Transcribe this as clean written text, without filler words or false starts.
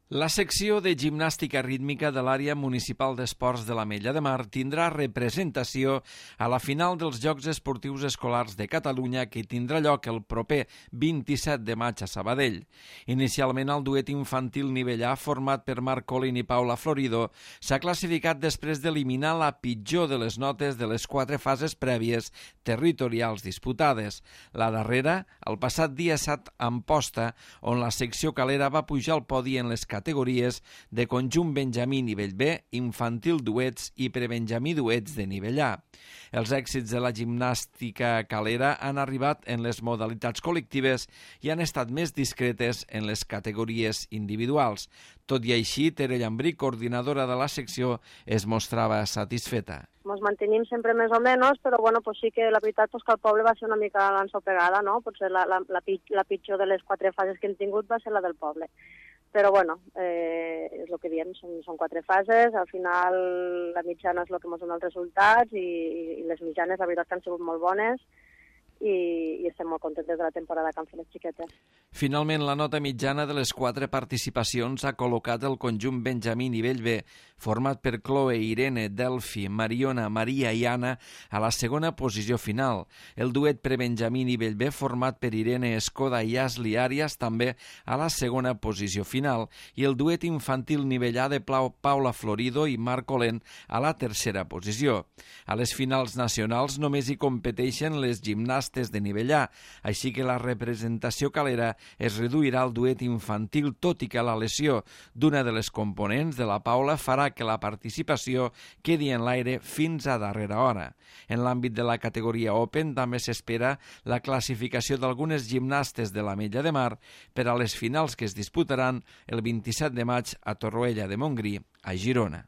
La secció de gimnàstica rítmica de l'àrea municipal d'esports de l'Ametlla de Mar tindrà representació a la final dels Jocs Esportius Escolars de Catalunya que tindrà lloc el proper 27 de maig a Sabadell. Inicialment el duet infantil nivell A format per Marc Colin i Paula Florido s'ha classificat després d'eliminar la pitjor de les notes de les 4 fases prèvies territorials disputades. La darrera, el passat dia 7 a Amposta, on la secció calera va pujar al podi en les categories de conjunt benjamí nivell B, infantil duets i prebenjamí duets de nivell A. Els èxits de la gimnàstica calera han arribat en les modalitats col·lectives i han estat més discretes en les categories individuals. Tot i així, Tere Llambrí, coordinadora de la secció, es mostrava satisfeta. Ens mantenim sempre més o menys, però bueno, pues sí que la veritat que el poble va ser una mica l'ensopegada, no? Potser la pitjor de les 4 fases que hem tingut va ser la del poble. Però bueno, és el que diem, són 4 fases, al final la mitjana és el que ens dona els resultats i les mitjanes la veritat que han sigut molt bones i estem molt contents de la temporada que han fet les xiquetes. Finalment, la nota mitjana de les 4 participacions ha col·locat el conjunt benjamí nivell B, format per Chloe, Irene, Delphi, Mariona, Maria i Anna, a la segona posició final. El duet prebenjamí nivell B, format per Irene Escoda i Asli Arias, també a la segona posició final, i el duet infantil nivell A de Paula Florido i Marc Colin a la tercera posició. A les finals nacionals només hi competeixen les gimnàsties de nivell A, així que la representació calera es reduirà al duet infantil, tot i que la lesió d'una de les components de la Paula farà que la participació quedi en l'aire fins a darrera hora. En l'àmbit de la categoria Open també s'espera la classificació d'algunes gimnastes de l'Ametlla de Mar per a les finals que es disputaran el 27 de maig a Torroella de Montgrí, a Girona.